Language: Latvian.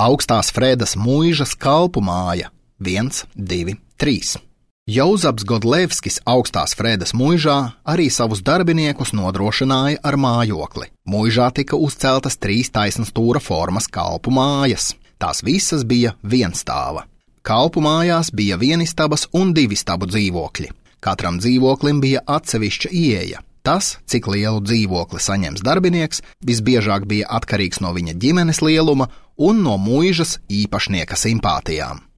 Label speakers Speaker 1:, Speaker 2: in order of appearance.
Speaker 1: Augstās Fredas muižas kalpu māja 1, 2, 3. Jauzaps Godlevskis Augstās Fredas muižā arī savus darbiniekus nodrošināja ar mājokli. Muižā tika uzceltas 3 taisnstūra formas kalpu mājas. Tās visas bija vienstāva. Kalpu mājās bija vienistabas un 2 stabu dzīvokļi. Katram dzīvoklim bija atsevišķa ieeja. Tas, cik lielu dzīvokli saņems darbinieks, visbiežāk bija atkarīgs no viņa ģimenes lieluma un no muižas īpašnieka simpātijām.